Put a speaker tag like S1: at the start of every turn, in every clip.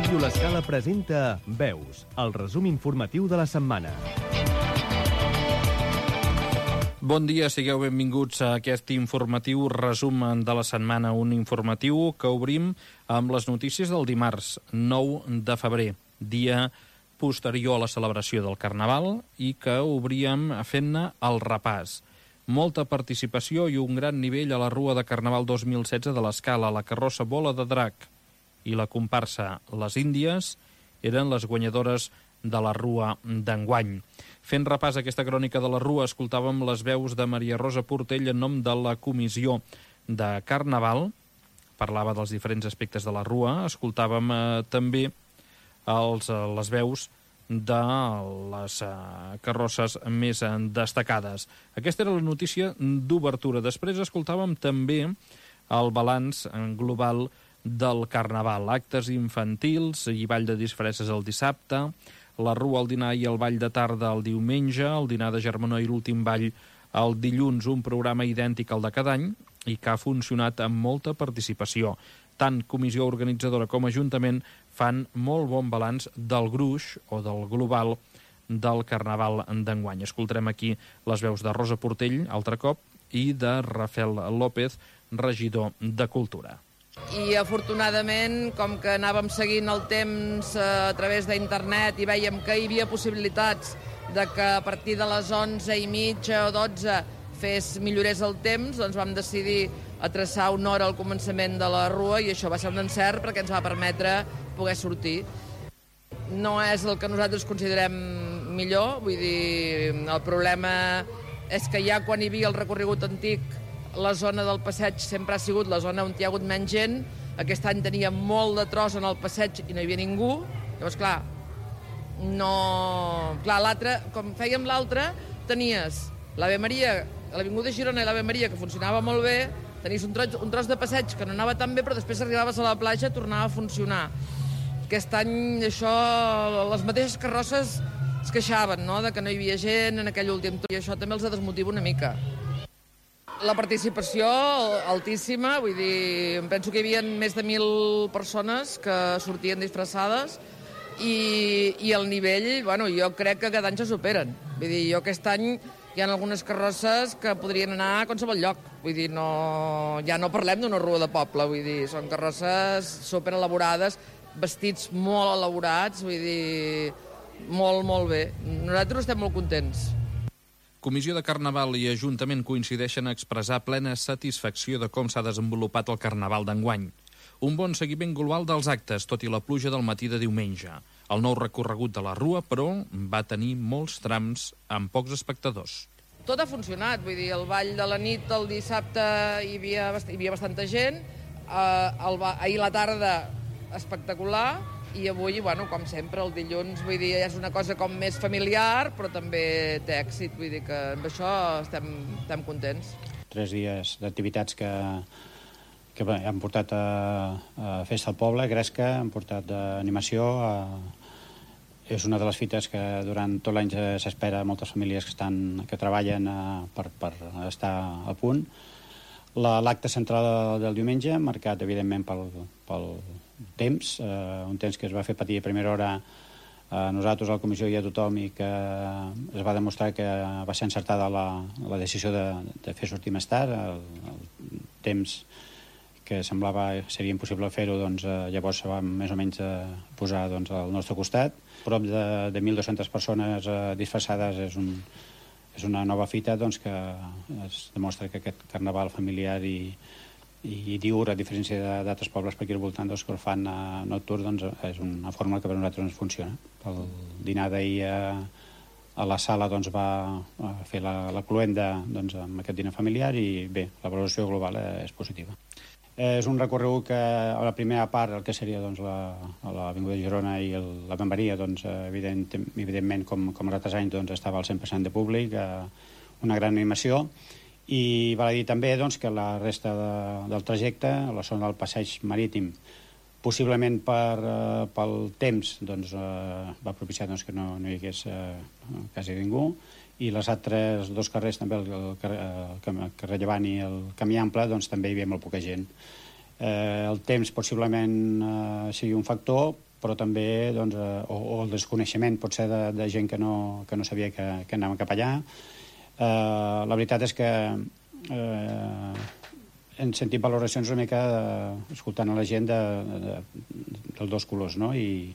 S1: Ràdio L'Escala presenta Veus, el resum informatiu de la setmana.
S2: Bon dia, sigueu benvinguts a aquest informatiu resum de la setmana, un informatiu que obrim amb les notícies del dimarts 9 de febrer, dia posterior a la celebració del Carnaval, i que obríem fent-ne el repàs. Molta participació i un gran nivell a la Rua de Carnaval 2016 de l'Escala, la carrossa Bola de Drac i la comparsa Les Índies eren les guanyadores de la Rua d'enguany. Fent repàs a aquesta crònica de la Rua, escoltàvem les veus de Maria Rosa Portell en nom de la Comissió de Carnaval. Parlava dels diferents aspectes de la Rua. Escoltàvem també les veus de les carrosses més destacades. Aquesta era la notícia d'obertura. Després escoltàvem també el balanç global del Carnaval. Actes infantils i ball de disfresses el dissabte, la Rua, el dinar i el ball de tarda el diumenge, el dinar de germanor i l'últim ball el dilluns, un programa idèntic al de cada any i que ha funcionat amb molta participació. Tant comissió organitzadora com ajuntament fan molt bon balanç del gruix o del global del Carnaval d'enguany. Escoltarem aquí les veus de Rosa Portell, altre cop, i de Rafael López, regidor de Cultura.
S3: I afortunadament, com que anàvem seguint el temps a través d'internet i vèiem que hi havia possibilitats de que a partir de les 11:30 o 12 millorés el temps, doncs vam decidir a traçar una hora al començament de la Rua i això va ser un encert perquè ens va permetre poder sortir. No és el que nosaltres considerem millor, vull dir, el problema és que ja quan hi havia el recorregut antic la zona del passeig sempre ha sigut la zona on hi ha hagut menys gent. Aquest any tenia molt de tros en el passeig i no hi havia ningú. Llavors, clar, l'altre, com fèiem l'altre, tenies l'Ave Maria, l'Avinguda Girona i l'Ave Maria, que funcionava molt bé, tenies un tros de passeig que no anava tan bé, però després arribaves a la platja i tornava a funcionar. Aquest any, això, les mateixes carrosses es queixaven, no?, de que no hi havia gent en aquell últim torn, i això també els desmotiva una mica. La participació altíssima, vull dir, em penso que hi havia més de 1.000 persones que sortien disfressades i el nivell, bueno, jo crec que cada any se superen. Vull dir, jo aquest any hi ha algunes carrosses que podrien anar a qualsevol lloc. Vull dir, ja no parlem d'una rua de poble, vull dir, són carrosses superelaborades, vestits molt elaborats, vull dir, molt, molt bé. Nosaltres estem molt contents.
S2: Comissió de Carnaval i Ajuntament coincideixen a expressar plena satisfacció de com s'ha desenvolupat el Carnaval d'enguany. Un bon seguiment global dels actes, tot i la pluja del matí de diumenge. El nou recorregut de la Rua, però, va tenir molts trams amb pocs espectadors.
S3: Tot ha funcionat, vull dir, el ball de la nit, el dissabte hi havia bastanta gent, ahir la tarda espectacular, i avui, bueno, com sempre, el dilluns, vull dir, és una cosa com més familiar, però també té èxit, vull dir que amb això estem contents.
S4: 3 dies d'activitats que han portat a Festa al Poble, Gresca, han portat d'animació. És una de les fites que durant tot l'any s'espera moltes famílies que treballen per estar a punt. L'acte central del diumenge, marcat evidentment pel temps, un temps que es va fer patir a primera hora a nosaltres, a la comissió i a tothom, i que es va demostrar que va ser encertada la decisió de fer sortir més tard. El temps que semblava seria impossible fer-ho, doncs llavors se va més o menys posar al nostre costat. Prop de 1.200 persones disfressades és una nova fita, doncs, que es demostra que aquest carnaval familiar i diur, a diferència d'altres pobles per aquí al voltant, doncs, que el fan nocturn, doncs, és una fórmula que per nosaltres ens funciona. El dinar d'ahir a la sala, doncs, va fer la cluenda, doncs, amb aquest dinar familiar, i bé, la valoració global és positiva. És un recorregut que a la primera part, el que seria, doncs, l'Avinguda Girona i l'Ave Maria, doncs, evidentment, com els altres anys, doncs, estava al 100% de públic, una gran animació, i val a dir també, doncs, que la resta del trajecte, a la zona del passeig marítim, possiblement pel temps, doncs, va propiciar, doncs, que no hi hagués quasi ningú, i les altres dos carrers, també el carrer Llevant i el Camí Ample, doncs també hi havia molt poca gent. El temps possiblement sigui un factor, però també doncs, o el desconeixement potser de gent que no sabia que anàvem cap allà. La veritat és que hem sentit valoracions una mica escoltant a la gent dels dos colors, no? I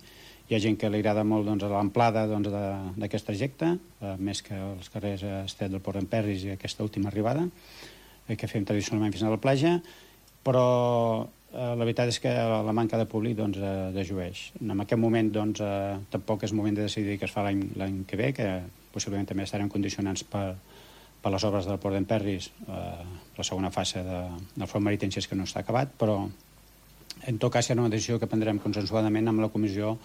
S4: hi ha gent que li agrada molt doncs, l'amplada d'aquest trajecte, més que els carrers Estret del Port d'en Perris i aquesta última arribada, que fem tradicionalment fins a la platja, però la veritat és que la manca de públic dejueix. En aquest moment tampoc és moment de decidir què es fa l'any que ve, que possiblement també estarem condicionats per les obres del Port d'en Perris, la segona fase del front marítim, si és que no està acabat, però en tot cas serà una decisió que prendrem consensuadament amb la comissió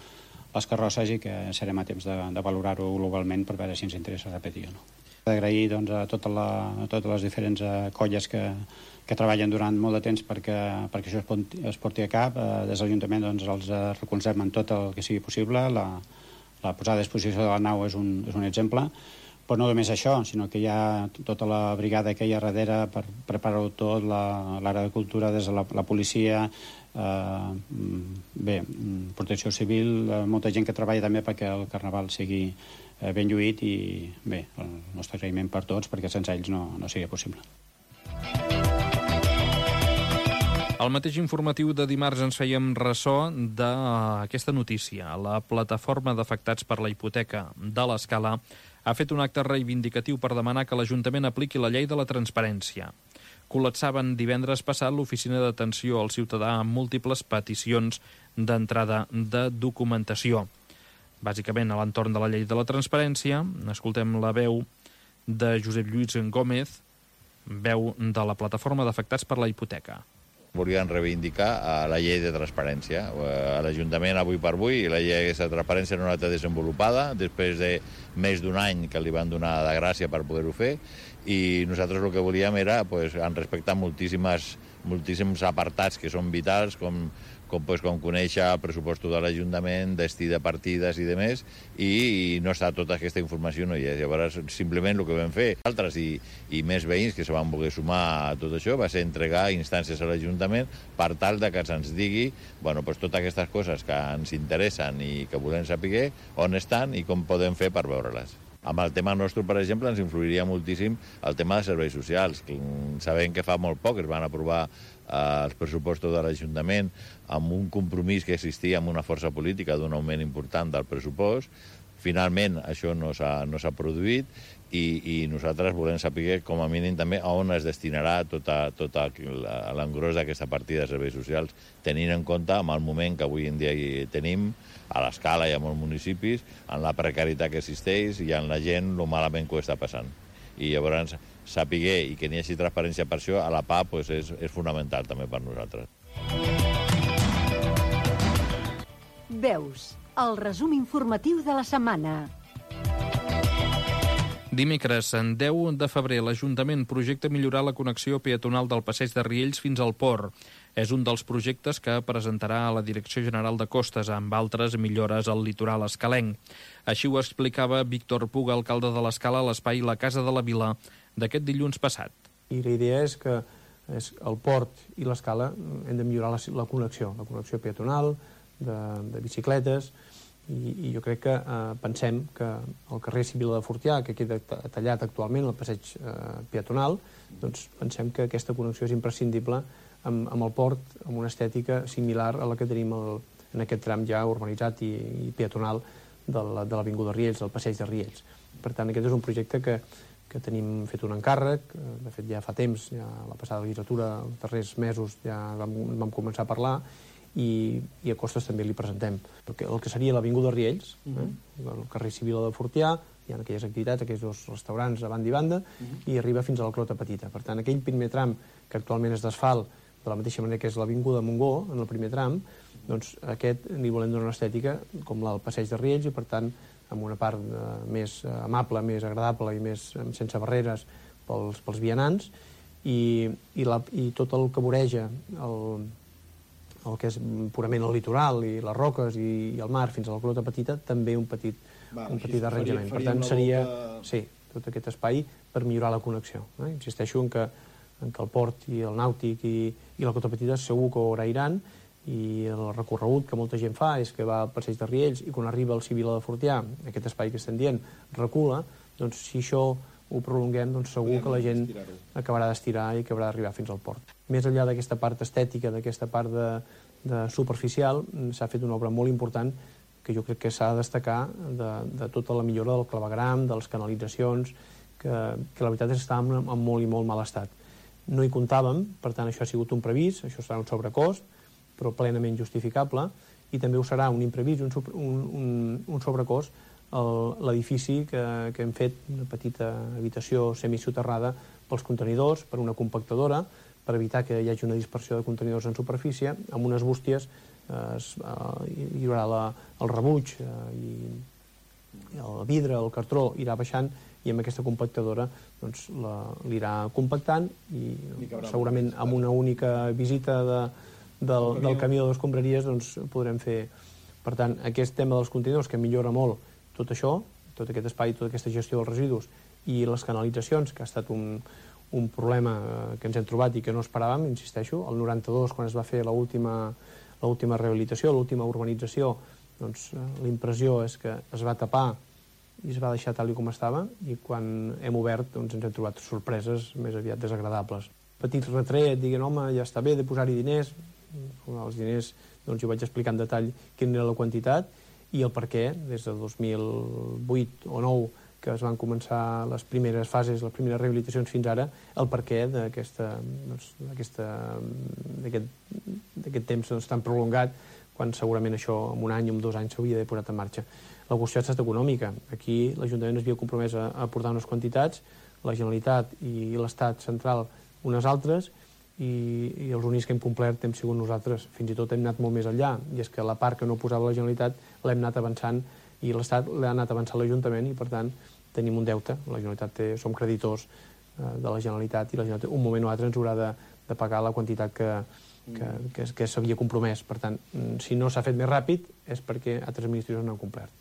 S4: les carrosses i que serem a temps de valorar-ho globalment per veure si ens interessa repetir o no. D'agrair a totes les diferents colles que treballen durant molt de temps perquè això es porti a cap. Des de l'Ajuntament els recolzem en tot el que sigui possible. La posada a disposició de la nau és un exemple. Però no només això, sinó que hi ha tota la brigada que hi ha darrere per preparar-ho tot, l'àrea de cultura, des de la policia, protecció civil, molta gent que treballa també perquè el carnaval sigui ben lluït i bé, el nostre agraïment per tots perquè sense ells no seria possible.
S2: Al mateix informatiu de dimarts ens fèiem ressò d'aquesta notícia. La plataforma d'afectats per la hipoteca de l'Escala ha fet un acte reivindicatiu per demanar que l'Ajuntament apliqui la llei de la transparència. Col·lapsaven divendres passat l'oficina d'atenció al ciutadà amb múltiples peticions d'entrada de documentació. Bàsicament, a l'entorn de la llei de la transparència, escoltem la veu de Josep Lluís Gómez, veu de la plataforma d'afectats per la hipoteca.
S5: Volien reivindicar la llei de transparència. A l'Ajuntament, avui per avui, la llei de transparència no està desenvolupada, després de més d'un any que li van donar de gràcia per poder-ho fer, i nosaltres el que volíem era respectar moltíssims apartats que són vitals, com conèixer el pressupost de l'Ajuntament, destí de partides i demés, i no està tota aquesta informació, no hi és. Llavors, simplement el que vam fer altres i més veïns que se van voler sumar a tot això va ser entregar instàncies a l'Ajuntament per tal que se'ns digui totes aquestes coses que ens interessen i que volem saber on estan i com podem fer per veure-les. Amb el tema nostre, per exemple, ens influiria moltíssim el tema de serveis socials. Sabem que fa molt poc es van aprovar els pressupostos de l'Ajuntament amb un compromís que existia amb una força política d'un augment important del pressupost. Finalment, això no s'ha produït i nosaltres volem saber, com a mínim, també on es destinarà tot l'engròs d'aquesta partida de serveis socials, tenint en compte amb el moment que avui en dia hi tenim a l'Escala i a molts municipis, en la precarietat que existeix i en la gent lo malament que ho està passant. I llavors saber i que n'hi hagi transparència per això a la PA és fonamental també per nosaltres.
S6: Veus, el resum informatiu de la setmana.
S2: Dimecres, en 10 de febrer, l'Ajuntament projecta millorar la connexió peatonal del passeig de Riells fins al port. És un dels projectes que presentarà a la Direcció General de Costes, amb altres millores al litoral escalenc. Així ho explicava Víctor Puga, alcalde de l'Escala, a l'espai La Casa de la Vila d'aquest dilluns passat.
S7: I la idea és que el port i l'Escala hem de millorar la connexió peatonal, de bicicletes, i jo crec que pensem que el carrer Civil de Fortià, que queda tallat actualment, el passeig peatonal, doncs pensem que aquesta connexió és imprescindible amb el port, amb una estètica similar a la que tenim en aquest tram ja urbanitzat i peatonal de l'Avinguda Riells, del passeig de Riells. Per tant, aquest és un projecte que tenim fet un encàrrec, de fet ja fa temps, ja la passada legislatura, els darrers mesos ja vam començar a parlar, i a Costes també li presentem. El que seria l'Avinguda Riells, el carrer Civil de Fortià, hi ha aquelles activitats, aquells dos restaurants a banda i banda, i arriba fins a la Clota Petita. Per tant, aquell primer tram que actualment és d'asfalt, de la mateixa manera que és l'Avinguda Montgó, en el primer tram, doncs aquest li volem donar una estètica com la del passeig de Riells i, per tant, amb una part més amable, més agradable i més sense barreres pels vianants, i tot el que voreja el que és purament el litoral i les roques i el mar fins a la Clota Petita, també un petit arranjament. Per tant, seria tot aquest espai per millorar la connexió. Insisteixo en que el port i el nàutic i la Clota Petita segur que ho agrairan i el recorregut que molta gent fa és que va al passeig de Riells i quan arriba al Civil de Fortià, aquest espai que estem dient, recula, doncs si això ho prolonguem, doncs segur que la gent acabarà d'estirar i acabarà d'arribar fins al port. Més enllà d'aquesta part estètica, d'aquesta part de superficial, s'ha fet una obra molt important que jo crec que s'ha de destacar de tota la millora del clavegram, de les canalitzacions, que la veritat és que estàvem en molt i molt mal estat. No hi comptàvem, per tant això ha sigut un previst, això serà un sobrecost, però plenament justificable, i també ho serà un imprevist, un sobrecost, l'edifici que hem fet, una petita habitació semisoterrada pels contenidors, per una compactadora, per evitar que hi hagi una dispersió de contenidors en superfície, amb unes bústies hi haurà el rebuig i el vidre, el cartró irà baixant i amb aquesta compactadora doncs, l'irà compactant i segurament amb una única visita del camió de les escombraries doncs, podrem fer. Per tant, aquest tema dels contenidors que millora molt tot això, tot aquest espai, tota aquesta gestió dels residus i les canalitzacions, que ha estat un problema que ens hem trobat i que no esperàvem, insisteixo, el 92, quan es va fer l'última rehabilitació, l'última urbanització, doncs l'impressió és que es va tapar i es va deixar tal com estava i quan hem obert doncs, ens hem trobat sorpreses més aviat desagradables. Petit retret, diguent, home, ja està bé de posar-hi diners. Els diners, doncs jo vaig explicar en detall quina era la quantitat i el per què, des de 2008 o 9 que es van començar les primeres fases, les primeres rehabilitacions fins ara, el per què d'aquest temps tan prolongat, quan segurament això en un any o en 2 anys s'hauria d'haver posat en marxa. La qüestió ha estat econòmica. Aquí l'Ajuntament es havia compromès a aportar unes quantitats, la Generalitat i l'Estat central unes altres, i els únics que hem complert hem sigut nosaltres. Fins i tot hem anat molt més enllà, i és que la part que no posava la Generalitat l'hem anat avançant i l'Estat l'ha anat avançant l'Ajuntament i, per tant, tenim un deute. La Generalitat som creditors de la Generalitat i la Generalitat un moment o altre ens haurà de pagar la quantitat que s'havia compromès. Per tant, si no s'ha fet més ràpid és perquè altres administracions no han complert.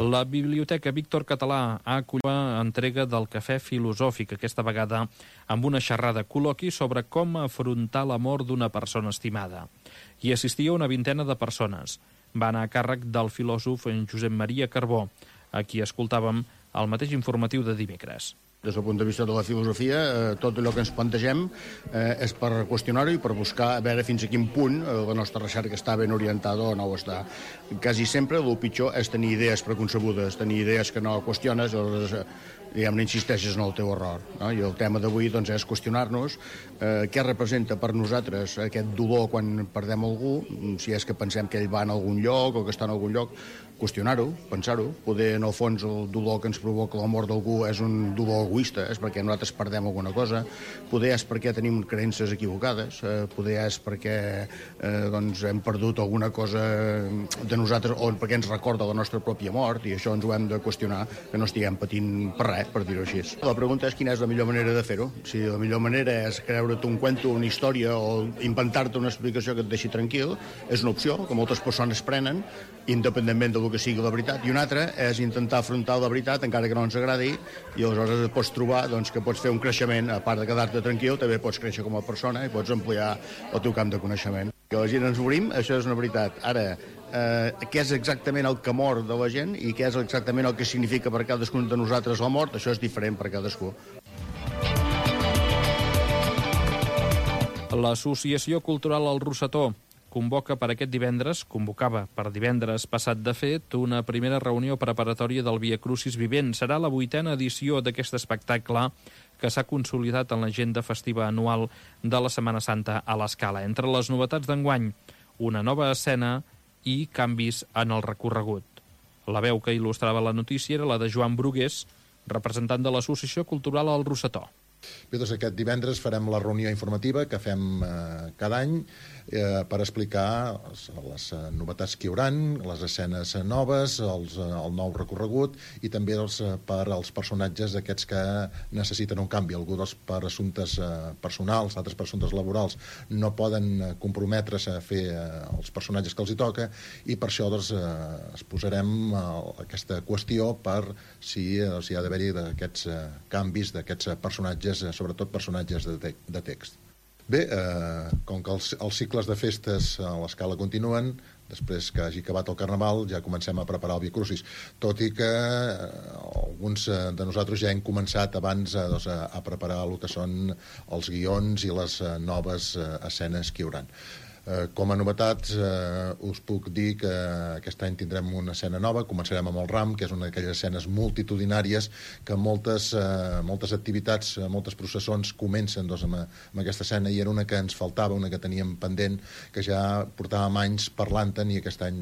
S2: La Biblioteca Víctor Català ha acollit l'entrega del Cafè Filosòfic, aquesta vegada amb una xerrada col·loqui sobre com afrontar la mort d'una persona estimada. Hi assistia una vintena de persones. Va anar a càrrec del filòsof Josep Maria Carbó, a qui escoltàvem al mateix informatiu de dimecres.
S8: Des del punt de vista de la filosofia, tot allò que ens plantegem és per qüestionar-ho i per buscar a veure fins a quin punt la nostra recerca està ben orientada o no ho està. Quasi sempre el pitjor és tenir idees preconcebudes, tenir idees que no qüestiones, diguem-ne, insisteixes en el teu error. No? I el tema d'avui doncs, és qüestionar-nos què representa per nosaltres aquest dolor quan perdem algú, si és que pensem que ell va en algun lloc o que està en algun lloc, qüestionar-ho, pensar-ho. Poder, en el fons, el dolor que ens provoca la mort d'algú és un dolor egoista, és perquè nosaltres perdem alguna cosa, poder és perquè tenim creences equivocades, poder és perquè doncs, hem perdut alguna cosa de nosaltres o perquè ens recorda la nostra pròpia mort i això ens ho hem de qüestionar, que no estiguem patint per res, per dir-ho així. La pregunta és quina és la millor manera de fer-ho. Si la millor manera és creure't un cuento, una història o inventar-te una explicació que et deixi tranquil, és una opció que moltes persones prenen, independentment del que sigui la veritat, i una altra és intentar afrontar la veritat encara que no ens agradi i aleshores et pots trobar doncs, que pots fer un creixement, a part de quedar-te tranquil, també pots créixer com a persona i pots ampliar el teu camp de coneixement. Que la gent ens obrim, això és una veritat. Ara, què és exactament el que mor de la gent i què és exactament el que significa per cadascun de nosaltres la mort, això és diferent per cadascú.
S2: L'Associació Cultural El Rosetó convocava per divendres passat de fet una primera reunió preparatòria del Via Crucis Vivent. Serà la 8a edició d'aquest espectacle que s'ha consolidat en l'agenda festiva anual de la Setmana Santa a l'Escala. Entre les novetats d'enguany, una nova escena i canvis en el recorregut. La veu que il·lustrava la notícia era la de Joan Brugués, representant de l'Associació Cultural El Rosetó.
S9: Bé, doncs aquest divendres farem la reunió informativa que fem cada any per explicar les novetats que hi haurà, les escenes noves, el nou recorregut i també per als personatges aquests que necessiten un canvi. Algú per assumptes personals, altres per assumptes laborals no poden comprometre's a fer els personatges que els hi toca i per això doncs, es posarem aquesta qüestió per si ha d'haver-hi aquests canvis d'aquests personatges, sobretot personatges de text. Bé, com que els cicles de festes a l'Escala continuen, després que hagi acabat el Carnaval ja comencem a preparar el Via Crucis, tot i que alguns de nosaltres ja hem començat abans a preparar el que són els guions i les noves escenes que hi hauran. Com a novetats, us puc dir que aquest any tindrem una escena nova, començarem amb el Ram, que és una d'aquelles escenes multitudinàries que moltes activitats, moltes processons comencen amb aquesta escena, i era una que ens faltava, una que teníem pendent, que ja portàvem anys parlant-en, i aquest any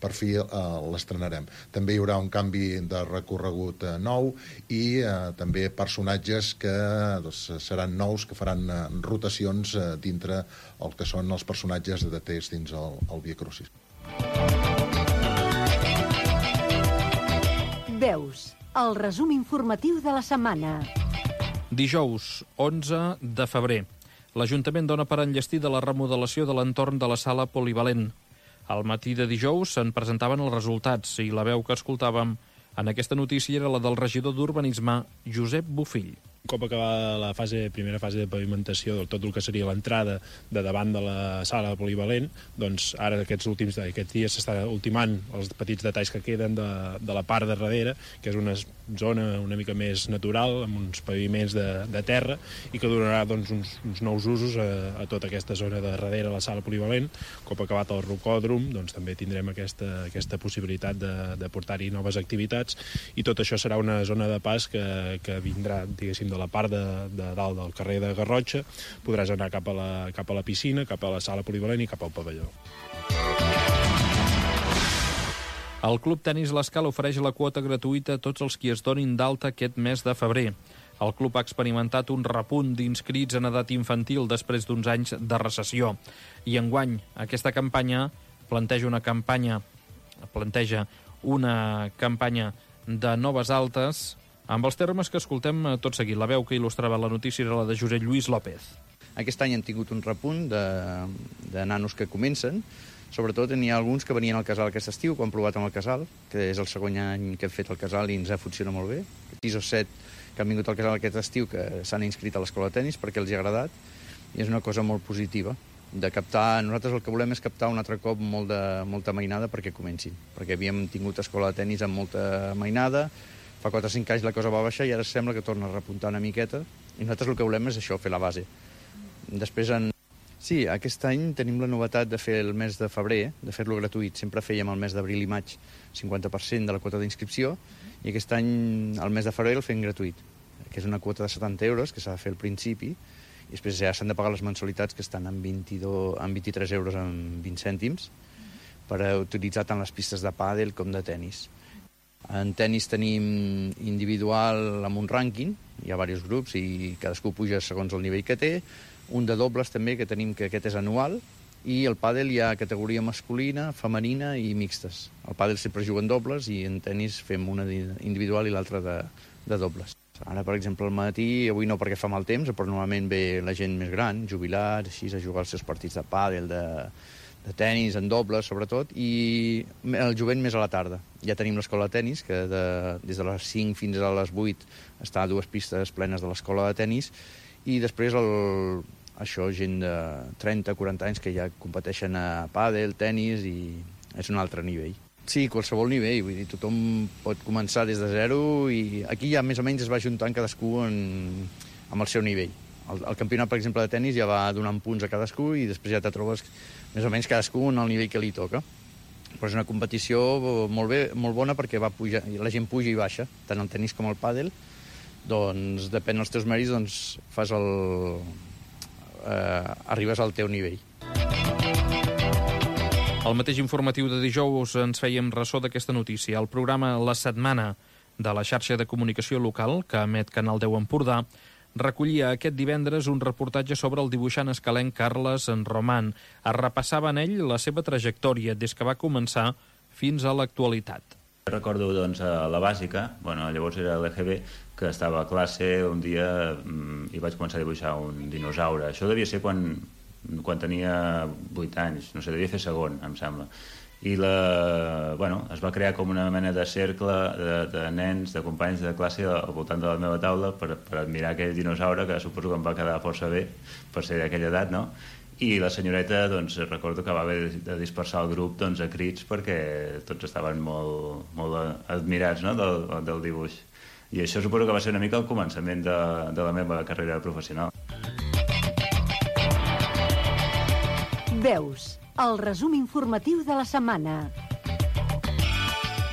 S9: per fi l'estrenarem. També hi haurà un canvi de recorregut nou i també personatges que seran nous, que faran rotacions dintre el que són els personatges de text dins el Via Crucis.
S6: Veus, el resum informatiu de la setmana.
S2: Dijous, 11 de febrer. L'Ajuntament dona per enllestida la remodelació de l'entorn de la sala polivalent. Al matí de dijous se'n presentaven els resultats i la veu que escoltàvem en aquesta notícia era la del regidor d'Urbanisme, Josep Bofill.
S10: Un cop acabada la primera fase de pavimentació de tot el que seria l'entrada de davant de la sala polivalent, doncs ara aquests dies s'està ultimant els petits detalls que queden de la part de darrere, que és una zona una mica més natural, amb uns paviments de terra, i que donarà doncs, uns nous usos a tota aquesta zona de darrere la sala polivalent. Un cop acabat el rocòdrom, doncs també tindrem aquesta possibilitat de portar-hi noves activitats, i tot això serà una zona de pas que vindrà, diguéssim, de la part de dalt del carrer de Garrotxa. Podràs anar cap a la piscina, cap a la sala polivalent i cap al pavelló.
S2: El Club Tenis L'Escala ofereix la quota gratuïta a tots els qui es donin d'alta aquest mes de febrer. El club ha experimentat un repunt d'inscrits en edat infantil després d'uns anys de recessió. I enguany aquesta campanya planteja una campanya de noves altes, amb els termes que escoltem tot seguit. La veu que il·lustrava la notícia era la de Josep Lluís López.
S11: Aquest any hem tingut un repunt de nanos que comencen. Sobretot n'hi ha alguns que venien al casal aquest estiu, que han provat amb el casal, que és el segon any que hem fet el casal i ens ha funcionat molt bé. 6 o 7 que han vingut al casal aquest estiu que s'han inscrit a l'escola de tenis perquè els hi ha agradat, i és una cosa molt positiva. Nosaltres el que volem és captar un altre cop molta mainada perquè comencin, perquè havíem tingut escola de tenis amb molta mainada. Fa 4 o 5 anys la cosa va baixar i ara sembla que torna a repuntar una miqueta, i nosaltres el que volem és això, fer la base. Després, sí, aquest any tenim la novetat de fer el mes de febrer, de fer-lo gratuït. Sempre fèiem el mes d'abril i maig 50% de la quota d'inscripció, i aquest any, el mes de febrer, el fem gratuït, que és una quota de 70 euros que s'ha de fer al principi, i després ja s'han de pagar les mensualitats, que estan en 23 euros amb 20 cèntims, per utilitzar tant les pistes de pàdel com de tenis. En tenis tenim individual amb un rànquing, hi ha diversos grups i cadascú puja segons el nivell que té. Un de dobles també, que tenim, que aquest és anual, i el pàdel hi ha categoria masculina, femenina i mixtes. El pàdel sempre juga en dobles i en tenis fem una individual i l'altra de dobles. Ara, per exemple, al matí, avui no perquè fa mal temps, però normalment ve la gent més gran, jubilats, així, a jugar els seus partits de pàdel, de tenis, en dobles, sobretot, i el jovent més a la tarda. Ja tenim l'escola de tenis, que des de les 5 fins a les 8 està a 2 pistes plenes de l'escola de tenis, i després gent de 30-40 anys que ja competeixen a pàdel, tenis, i és un altre nivell. Sí, qualsevol nivell, vull dir, tothom pot començar des de zero, i aquí ja més o menys es va juntant cadascú amb el seu nivell. El campionat, per exemple, de tenis ja va donant punts a cadascú i després ja te trobes més o menys cadascú en el nivell que li toca. Però és una competició molt bona perquè la gent puja i baixa, tant el tenis com el pàdel. Doncs depèn dels teus mèrits, doncs arribes al teu nivell.
S2: Al mateix informatiu de dijous ens fèiem ressò d'aquesta notícia. El programa La Setmana de la xarxa de comunicació local, que emet Canal 10 Empordà, recollia aquest divendres un reportatge sobre el dibuixant escalenc Carles Roman. Es repassava en ell la seva trajectòria des que va començar fins a l'actualitat.
S12: Recordo, doncs, a la bàsica, llavors era l'EGB, que estava a classe un dia i vaig començar a dibuixar un dinosaure. Això devia ser quan tenia 8 anys, no sé, devia fer segon, em sembla. I es va crear com una mena de cercle de nens, de companys de classe al voltant de la meva taula per admirar aquell dinosaure, que suposo que em va quedar força bé per ser d'aquella edat, no? I la senyoreta, doncs, recordo que va haver de dispersar el grup a crits perquè tots estaven molt admirats, no?, del dibuix. I això suposo que va ser una mica el començament de la meva carrera professional.
S6: Veus, el resum informatiu de la setmana.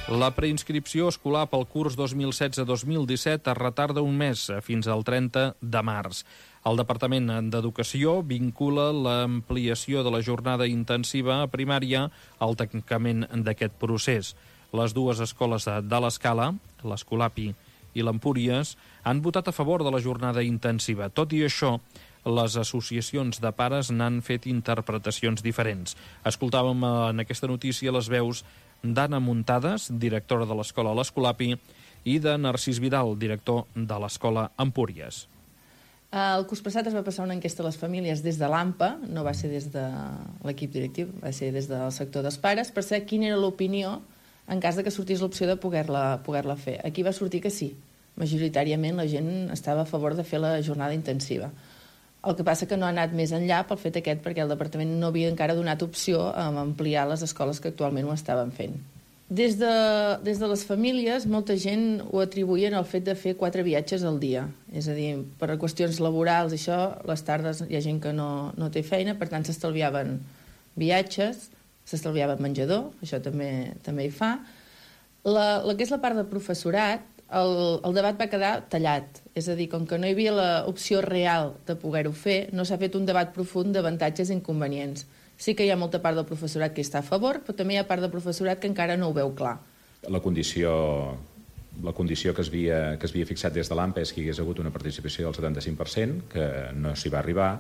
S2: La preinscripció escolar pel curs 2016-2017 es retarda un mes, fins al 30 de març. El Departament d'Educació vincula l'ampliació de la jornada intensiva a primària al tancament d'aquest procés. Les dues escoles de l'Escala, l'Escolapi i l'Empúries, han votat a favor de la jornada intensiva. Tot i això, les associacions de pares n'han fet interpretacions diferents. Escoltàvem en aquesta notícia les veus d'Anna Muntades, directora de l'escola l'Escolapi, i de Narcís Vidal, director de l'escola Empúries.
S3: El curs passat es va passar una enquesta a les famílies des de l'AMPA, no va ser des de l'equip directiu, va ser des del sector dels pares, per saber quina era l'opinió en cas de que sortís l'opció de poder-la fer. Aquí va sortir que sí. Majoritàriament la gent estava a favor de fer la jornada intensiva. El que passa que no ha anat més enllà pel fet aquest, perquè el departament no havia encara donat opció a ampliar les escoles que actualment ho estaven fent. Des de les famílies, molta gent ho atribuïen al fet de fer 4 viatges al dia. És a dir, per qüestions laborals, això, les tardes hi ha gent que no té feina, per tant s'estalviaven viatges, s'estalviaven menjador, això també hi fa. La que és la part del professorat, el debat va quedar tallat. És a dir, com que no hi havia l'opció real de poder-ho fer, no s'ha fet un debat profund d'avantatges i inconvenients. Sí que hi ha molta part del professorat que està a favor, però també hi ha part del professorat que encara no ho veu clar.
S13: La condició que es havia fixat des de l'AMPA és que hi hagués hagut una participació del 75%, que no s'hi va arribar,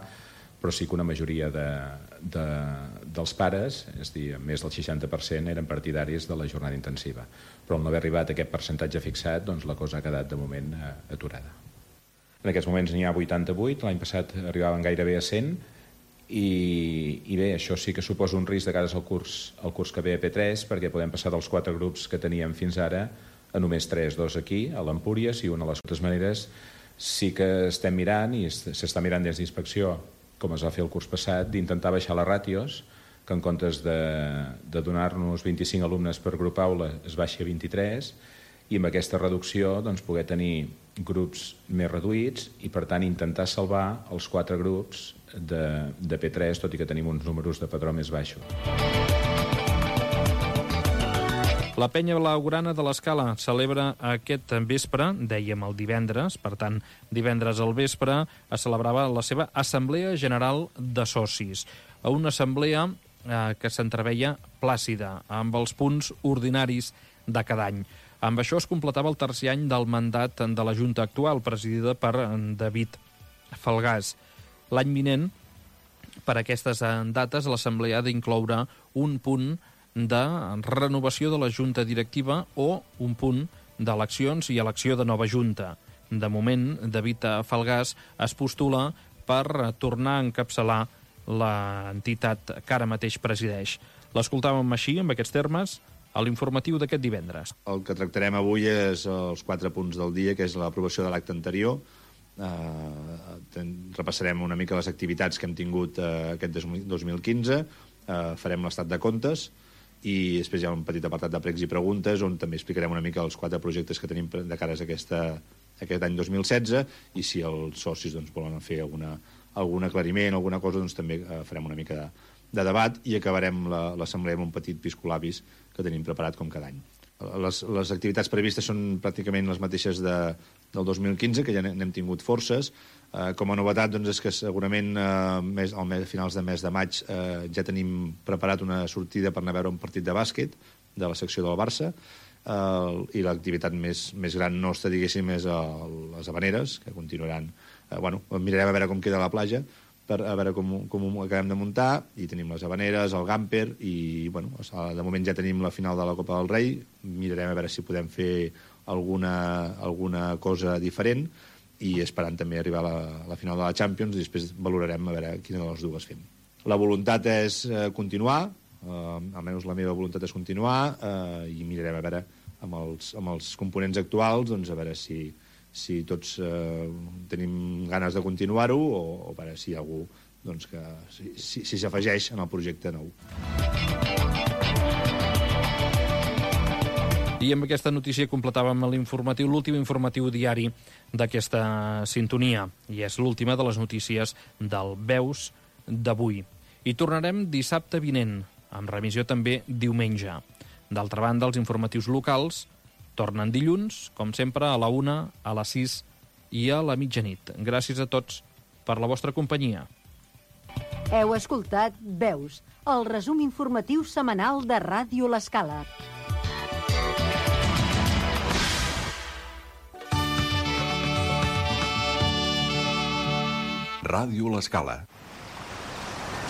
S13: però sí que una majoria dels pares, és a dir, més del 60%, eren partidaris de la jornada intensiva. Però al no haver arribat a aquest percentatge fixat, doncs la cosa ha quedat de moment aturada. En aquests moments n'hi ha 88, l'any passat arribaven gairebé a 100, i bé, això sí que suposa un risc de cara al curs que ve a P3, perquè podem passar dels 4 grups que teníem fins ara a només 3, 2 aquí, a l'Empúries, i una a les altres maneres sí que estem mirant, i s'està mirant des d'inspecció, com es va fer el curs passat, d'intentar baixar les ràtios, que en comptes de donar-nos 25 alumnes per grup aula es baixi a 23, i amb aquesta reducció doncs, poder tenir grups més reduïts i, per tant, intentar salvar els 4 grups de P3, tot i que tenim uns números de padró més baixos.
S2: La penya blaugrana de l'Escala celebra aquest vespre, dèiem el divendres, per tant, divendres al vespre es celebrava la seva Assemblea General de Socis. Una assemblea que s'entreveia plàcida, amb els punts ordinaris de cada any. Amb això es completava el tercer any del mandat de la Junta actual, presidida per David Falgàs. L'any vinent, per aquestes dates, l'Assemblea ha d'incloure un punt de renovació de la Junta Directiva o un punt d'eleccions i elecció de nova Junta. De moment, David Falgàs es postula per tornar a encapçalar l'entitat que ara mateix presideix. L'escoltàvem així, amb aquests termes, a l'informatiu d'aquest divendres.
S14: El que tractarem avui és els 4 punts del dia, que és l'aprovació de l'acte anterior. Repassarem una mica les activitats que hem tingut aquest 2015, farem l'estat de comptes i després hi ha un petit apartat de pregs i preguntes on també explicarem una mica els 4 projectes que tenim de cara a aquest any 2016 i si els socis volen fer algun aclariment, alguna cosa, doncs també farem una mica de debat i acabarem l'assemblea amb un petit piscolabis que tenim preparat com cada any. Les activitats previstes són pràcticament les mateixes del 2015, que ja n'hem tingut forces. Com a novetat doncs, és que segurament a finals de mes de maig ja tenim preparat una sortida per anar a veure un partit de bàsquet de la secció del Barça i l'activitat més gran nostra, diguéssim, és les Havaneres, que continuaran. Mirarem a veure com queda la platja, a veure com ho acabem de muntar, i tenim les Havaneres, el Gamper, i de moment ja tenim la final de la Copa del Rei, mirarem a veure si podem fer alguna cosa diferent, i esperant també arribar a la final de la Champions, i després valorarem a veure quina de les dues fem. La voluntat és continuar almenys la meva voluntat és continuar, i mirarem a veure amb els components actuals, doncs a veure si tots tenim ganes de continuar-ho, o a veure si hi ha algú doncs, que si s'afegeix en el projecte nou.
S2: I amb aquesta notícia completàvem l'informatiu, l'últim informatiu diari d'aquesta sintonia, i és l'última de les notícies del Veus d'avui. I tornarem dissabte vinent, amb remissió també diumenge. D'altra banda, els informatius locals tornen dilluns, com sempre, a la 1, a les 6 i a la mitjanit. Gràcies a tots per la vostra companyia.
S6: Heu escoltat Veus, el resum informatiu setmanal de Ràdio L'Escala.
S15: Ràdio L'Escala.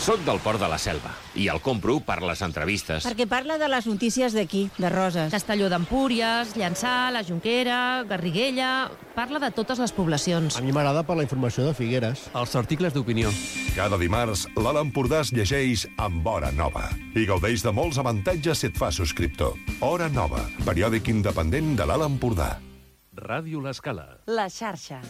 S15: Soc del Port de la Selva i el compro per les entrevistes.
S16: Perquè parla de les notícies d'aquí, de Roses.
S17: Castelló d'Empúries, Llançà, la Jonquera, Garriguella... Parla de totes les poblacions.
S18: A mi m'agrada per la informació de Figueres.
S19: Els articles d'opinió.
S20: Cada dimarts, l'Alt Empordà es llegeix amb Hora Nova i gaudeix de molts avantatges si et fa subscriptor. Hora Nova, periòdic independent de l'Alt Empordà.
S1: Ràdio L'Escala.
S6: La xarxa.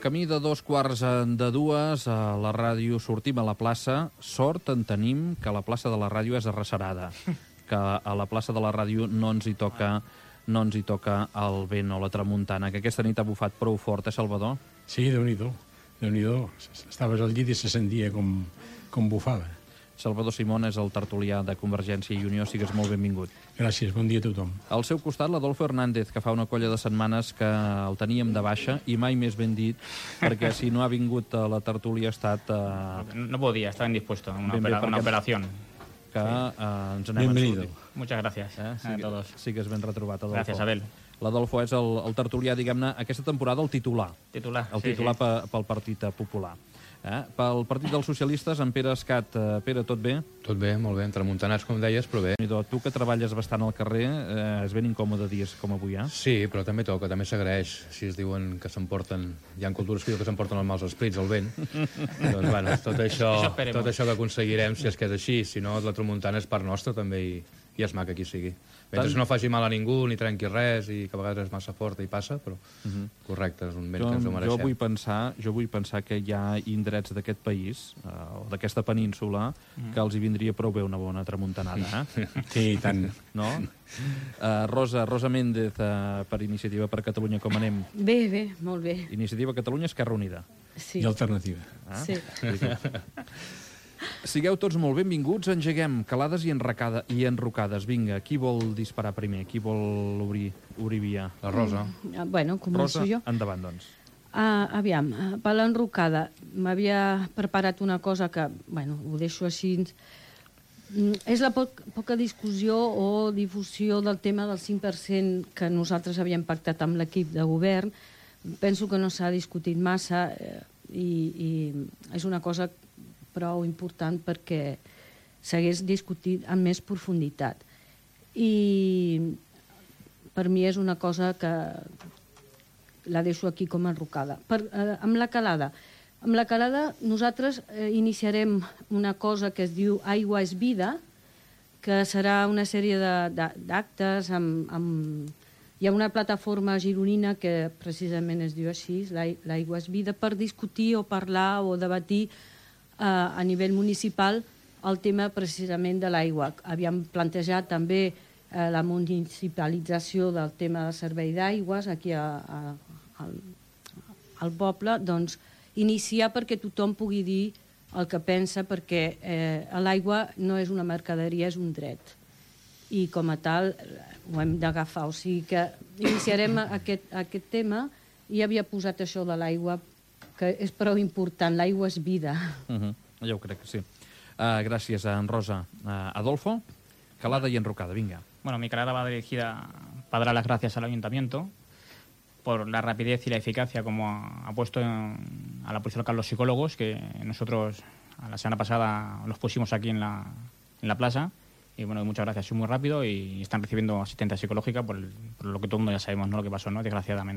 S2: Camí de 2:15 a la ràdio, sortim a la plaça. Sort en tenim que la plaça de la ràdio és arrecerada, que a la plaça de la ràdio no ens hi toca el vent o la tramuntana, que aquesta nit ha bufat prou fort, Salvador?
S21: Sí, Déu-n'hi-do. Estaves al llit i se sentia com bufava.
S2: Salvador Simón és el tertulià de Convergència i Unió. Sigues molt benvingut.
S21: Gràcies, bon dia a tothom.
S2: Al seu costat, l'Adolfo Hernández, que fa una colla de setmanes que el teníem de baixa, i mai més ben dit, perquè si no ha vingut a la tertúlia ha estat...
S22: No podía, estaba indispuesto, una operación.
S2: Que ens n'hem
S21: Bienvenido.
S22: Muchas gracias a todos.
S2: Sigues ben retrobat, Adolfo.
S22: Gracias, Abel.
S2: L'Adolfo és el tertulià, diguem-ne, aquesta temporada el titular. El titular pel Partit Popular. Pel Partit dels Socialistes, en Pere Escat. Pere, tot bé?
S23: Tot bé, molt bé, tramuntanats, com deies, però bé.
S2: Tu que treballes bastant al carrer, és ben incòmode dies com avui, eh?
S23: Sí, però també toca, també s'agraeix. Si es diuen que s'emporten... Hi ha cultures que diuen que s'emporten els mals esprits, el vent. Doncs, bueno, tot això que aconseguirem, si és que és així. Si no, la tramuntana és part nostra, també, i és maca qui sigui. Mentre no faci mal a ningú, ni trenqui res, i que a vegades és massa forta i passa, però correcte, és un vent que ens ho mereixem.
S2: Jo vull pensar que hi ha indrets d'aquest país, o d'aquesta península, que els hi vindria prou bé una bona tramuntanada, eh?
S21: Sí, i tant.
S2: No? Rosa Méndez, per Iniciativa per Catalunya, com anem?
S24: Bé, molt bé.
S2: Iniciativa Catalunya, Esquerra Unida.
S24: Sí.
S21: I Alternativa.
S24: Sí.
S2: Sigueu tots molt benvinguts, engeguem calades i enrocades. Vinga, qui vol disparar primer? Qui vol obrir via?
S23: La Rosa.
S24: Bueno, començo jo.
S2: Rosa, endavant, doncs.
S24: Aviam, per l'enrocada, m'havia preparat una cosa que, bueno, ho deixo així. És la poca discussió o difusió del tema del 5% que nosaltres havíem pactat amb l'equip de govern. Penso que no s'ha discutit massa i és una cosa prou important perquè s'hagués discutit amb més profunditat. I per mi és una cosa que la deixo aquí com enrocada. Amb la calada. Amb la calada nosaltres iniciarem una cosa que es diu Aigua és vida, que serà una sèrie d'actes hi ha una plataforma gironina que precisament es diu així, l'Aigua és vida, per discutir o parlar o debatir a nivell municipal el tema precisament de l'aigua. Havíem plantejat també la municipalització del tema del servei d'aigües aquí al poble, doncs iniciar perquè tothom pugui dir el que pensa, perquè l'aigua no és una mercaderia, és un dret. I com a tal ho hem d'agafar. O sigui que iniciarem aquest tema i havia posat això de l'aigua, que és prou important, l'aigua és vida.
S2: Ja ho crec que sí. Gràcies, en Rosa. Adolfo, calada y enrocada, venga.
S22: Bueno, mi calada va dirigida para dar las gracias al Ayuntamiento por la rapidez y la eficacia como ha puesto a la policía local los psicólogos, que nosotros a la semana pasada los pusimos aquí en la plaza. Y bueno, muchas gracias, es muy rápido y están recibiendo asistencia psicológica por lo que todo el mundo ya sabemos, ¿no? Lo que pasó, ¿no? Desgraciadamente.